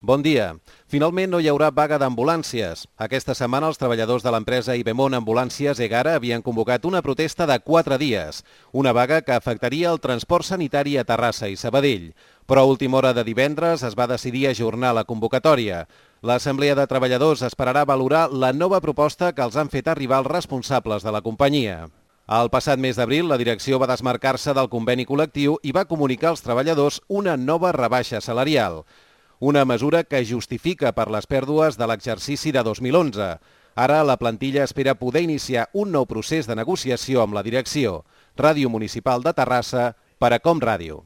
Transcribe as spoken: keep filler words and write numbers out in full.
Bon dia. Finalment no hi haurà vaga d'ambulàncies. Aquesta setmana els treballadors de l'empresa Ibemon Ambulàncies Egara havien convocat una protesta de quatre dies, una vaga que afectaria el transport sanitari a Terrassa i Sabadell. Però a última hora de divendres es va decidir ajornar la convocatòria. L'Assemblea de Treballadors esperarà valorar la nova proposta que els han fet arribar els responsables de la companyia. El passat mes d'abril, la direcció va desmarcar-se del conveni col·lectiu i va comunicar als treballadors una nova rebaixa salarial. Una mesura que justifica per les pèrdues de l'exercici de dos mil onze. Ara la plantilla espera poder iniciar un nou procés de negociació amb la direcció. Ràdio Municipal de Terrassa per a Com Ràdio.